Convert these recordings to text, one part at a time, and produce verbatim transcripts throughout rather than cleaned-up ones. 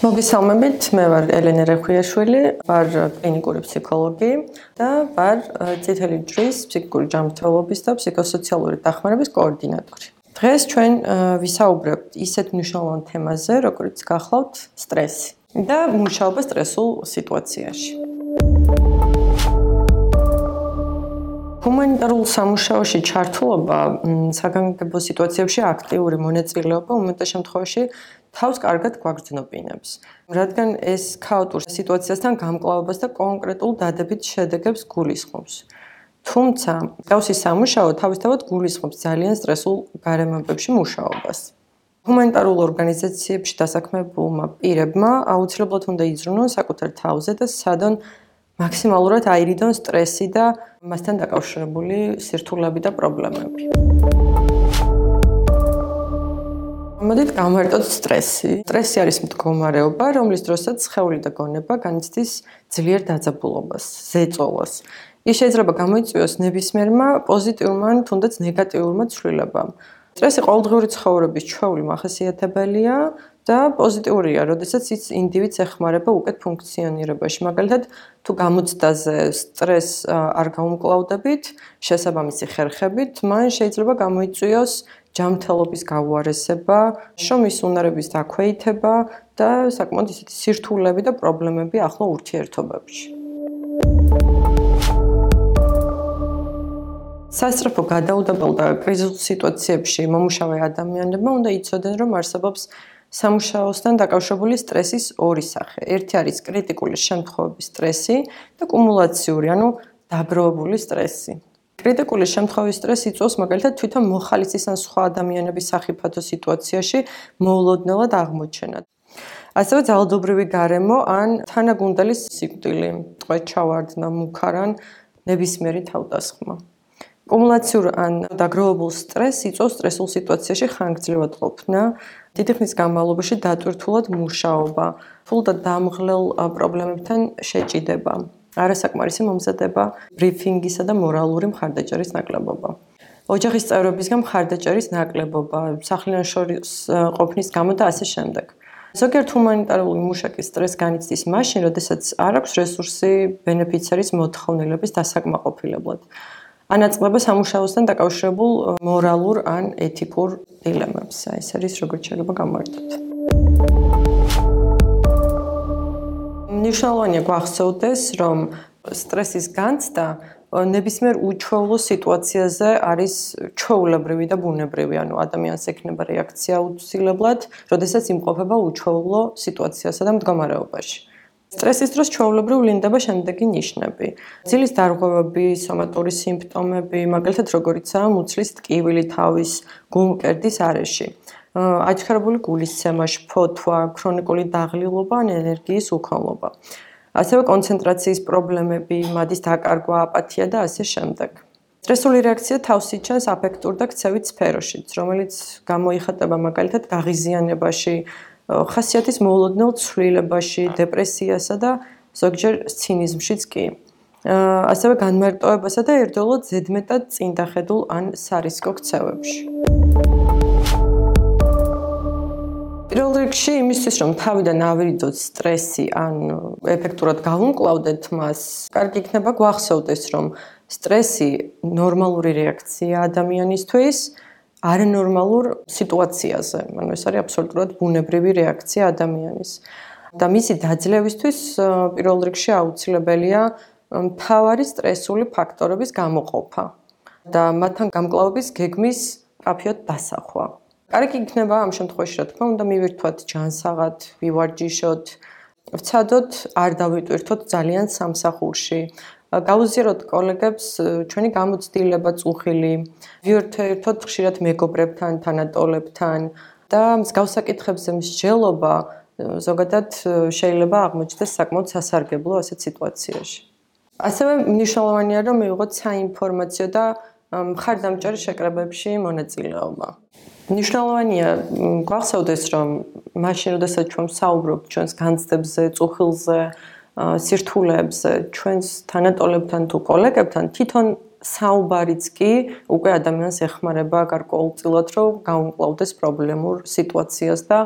მოგესალმებით, მე ვარ ელენე რეხვიაშვილი, ვარ კლინიკური ფსიქოლოგი და ვარ წითელი ჯვრის ფსიქიკური ჯანმრთელობის და ფსიქოსოციალური დახმარების კოორდინატორი. დღეს ჩვენ ვისაუბრებთ ისეთ მნიშვნელოვან თემაზე, როგორც გახლავთ სტრესი და მუშაობა სტრესულ სიტუაციაში. ჰუმანიტარულ სამუშაოში ჩართულობა საგანგებო სიტუაციებში აქტიური მონაწილეობა უმეტეს შემთხვევაში თავს კარგად გვაგრძნობინებს, რადგან ეს ქაოტურ სიტუაციასთან გამკლავებას და კონკრეტულ დადებით შედეგებს გულისხმობს. თუმცა, მსგავსი სამუშაო თავისთავად გულისხმობს ძალიან სტრესულ გარემოებებში მუშაობას. ჰუმანიტარულ ორგანიზაციებში დასაქმებულმა პირებმა აუცილებლად უნდა იზრუნონ საკუთარ თავზე და სცადონ მაქსიმალურად აირიდონ სტრესი და მასთან დაკავშირებული სირთულეები და პრობლემები. მოდით გავმარტოთ სტრესი. სტრესი არის მდგომარეობა, რომლის დროსაც სხეული და გონება განიცდის ძლიერ დაძაბულობას, ზეწოლას. ის შეიძლება გამოიწვიოს ნებისმიერმა პოზიტიურმა ან თუნდაც ნეგატიურმა ცვლილებამ. სტრესი ყოველდღიური ცხოვრების ჩვეული მახასიათებელია და პოზიტიურია, როდესაც ის ინდივიდს ეხმარება უკეთ ფუნქციონირებაში. მაგალითად, თუ გამოცდაზე სტრესს არ გაუმკლავდებით, შესაბამისი ხერხებით, მან შეიძლება გამოიწვიოს ჯანმრთელობის გაუარესება, შრომის უნარების დაქვეითება და საკმაოდ ისეთი სირთულეები და პრობლემები ახლო ურთიერთობებში. სასწრაფო გადაუდებელ და კრიზისულ სიტუაციებში მომუშავე ადამიანებმა უნდა იცოდნენ, რომ არსებობს სამუშაოსთან დაკავშირებული სტრესის ორი სახე. ერთი არის კრიტიკული შემთხვევების სტრესი და კუმულაციური, ანუ დაგროვებული სტრესი. კრიტიკული შემთხვევის სტრესი იწვევს მაგალითად თვითონ მოხალისის ან სხვა ადამიანების სახიფათო სიტუაციაში მოულოდნელად აღმოჩენად. ასევე ძალადობრივი გარემო ან თანაგუნდელის სიკვდილი, ტყვედ ჩავარდნა, მუქარან ნებისმიერი თავდასხმა. კუმულაციურ ან დაგროვებულ სტრესს იწვევს სტრესულ სიტუაციაში ხანგრძლივად ყოფნა, დიდი ხნის განმავლობაში დატვირთულად მუშაობა, რთულ და დამღლელ პრობლემებთან შეჭიდება. არასაკმარისი მომზადება, ბრიფინგისა და მორალური მხარდაჭერის ნაკლებობა. ოჯახის წევრებისგან მხარდაჭერის ნაკლებობა, სახლიდან შორის ყოფნის გამო და ასე შემდეგ. ზოგიერთ ჰუმანიტარული მუშაკის სტრესს განიცდის მაშინ, როდესაც არ აქვს რესურსი ბენეფიცერის მოთხოვნილების დასაკმაყოფილებლად. ანაწყდება სამუშაოსთან დაკავშირებულ მორალურ ან ეთიკურ დილემებს. ეს არის როგორც შეიძლება გამოვარდოთ. მნიშვნელოვანია გვახსოვდეს, რომ სტრესის განცდა ნებისმიერ უჩვეულო სიტუაციაზე არის ჩვეულებრივი და ბუნებრივი, ანუ ადამიანს ექნება რეაქცია აუცილებლად, როდესაც იმყოფება უჩვეულო სიტუაციასა და მდგომარეობაში. სტრესის დროს ჩვეულებრივ ვლინდება შემდეგი ნიშნები: ძილის დარღვევები, სომატური სიმპტომები, მაგალითად როგორიცაა მუცლის ტკივილი თავის, გულმკერდის არეში. აჩქარებული გულისცემა, შფოთვა, ქრონიკული დაღლილობა ან ენერგიის უქონლობა. ასევე კონცენტრაციის პრობლემები, მადის დაკარგვა, აპათია და ასე შემდეგ. სტრესული რეაქცია თავს იჩენს აფექტურ და ქცევით სფეროშიც, რომელიც გამოიხატება მაგალითად გაღიზიანებაში, ხასიათის მოულოდნელ ცვლილებაში, დეპრესიასა და ზოგჯერ ცინიზმშიც კი. ასევე განმარტოებასა და ერთდროულად ზედმეტად წინდახედულ ან სარისკო ქცევებში. პირველ რიგში იმისთვის, რომ თავიდან ავირიდოთ სტრესი ან ეფექტურად გავუმკლავდეთ მას, კარგი იქნება გვახსოვდეს, რომ სტრესი ნორმალური რეაქცია ადამიანისთვის არანორმალურ სიტუაციაზე. ანუ ეს არის აბსოლუტურად ბუნებრივი რეაქცია ადამიანის. და მისი დაძლევისთვის პირველ რიგში აუცილებელია მთავარი სტრესული ფაქტორების გამოყოფა და მათთან გამკლავების გეგმის მკაფიოდ დასახვა. კარგი იქნება ამ შემთხვევაში, რა თქმა უნდა, მივირთვათ ჯანსაღად, ვივარჯიშოთ, ვცადოთ არ დავიტვირთოთ ძალიან სამსახურში. გავუზიაროთ კოლეგებს ჩვენი გამოცდილება წუხილი, ვიერთვერთოთ ხშირად მეგობრებთან, თანატოლებთან და მსგავს საკითხებზე მსჯელობა ზოგადად შეიძლება აღმოჩნდეს საკმაოდ სასარგებლო ასეთ სიტუაციაში. ასევე მნიშვნელოვანია, რომ მივიღოთ საინფორმაციო და მხარდამჭერ შეკრებებში მონაწილეობა. მნიშვნელოვანია გვახსოვდეს, რომ მაშინ, როდესაც ჩვენ ვსაუბრობთ ჩვენს განცდებზე, წუხილზე, სირთულეებზე, ჩვენს თანატოლებთან თუ კოლეგებთან, თვითონ საუბარიც კი უკვე ადამიანს ეხმარება გარკვეულწილად, რომ გაუმკლავდეს პრობლემურ სიტუაციას და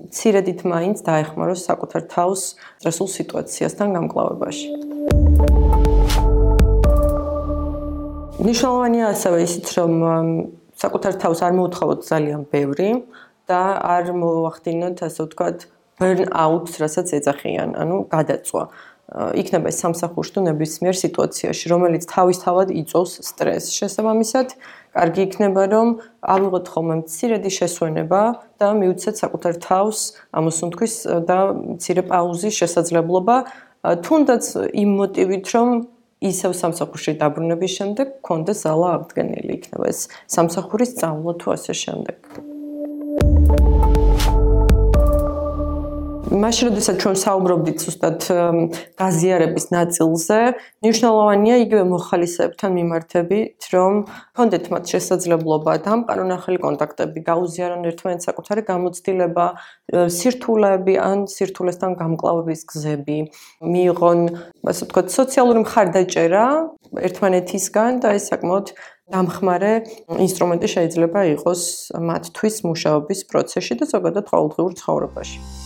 მცირედით მაინც დაეხმაროს საკუთარ თავს სტრესულ სიტუაციასთან გამკლავებაში. მნიშვნელოვანია ასევე ისიც, რომ საკუთარ თავს არ მოუთხოვოთ ძალიან ბევრი და არ მოახდინოთ, ასე ვთქვათ, burn-out-ს, რასაც ეძახიან, ანუ გადაწვა. იქნება ეს სამსახურში თუ ნებისმიერ სიტუაციაში, რომელიც თავისთავად იწვევს სტრესს. შესაბამისად, კარგი იქნება, რომ ავიღოთ ხოლმე მცირედი შესვენება და მივცეთ საკუთარ თავს ამოსუნთქვის და მცირე პაუზის შესაძლებლობა, თუნდაც იმ მოტივით, რომ ისევ სამსახურში დაბრუნების შემდეგ გქონდეს ზალა აღდგენილი, იქნება ეს სამსახურის სწავლა თუ ასე შემდეგ. მაშინ, როდესაც ჩვენ საუბრობდით ზუსტად გაზიარების ნაწილზე, მნიშვნელოვანია იგივე მოხალისეებთან მიმართებით, რომ გქონდეთ მათ შესაძლებლობა დამყარონ ახალი კონტაქტები, გაუზიარონ ერთმანეთს საკუთარი გამოცდილება, სირთულეები ან სირთულესთან გამკლავების გზები, მიიღონ, ასე ვთქვათ, სოციალური მხარდაჭერა ერთმანეთისგან და ეს საკმაოდ დამხმარე ინსტრუმენტი შეიძლება იყოს მათთვის მუშაობის პროცესში და ზოგადად ყოველდღიურ ცხოვრებაში.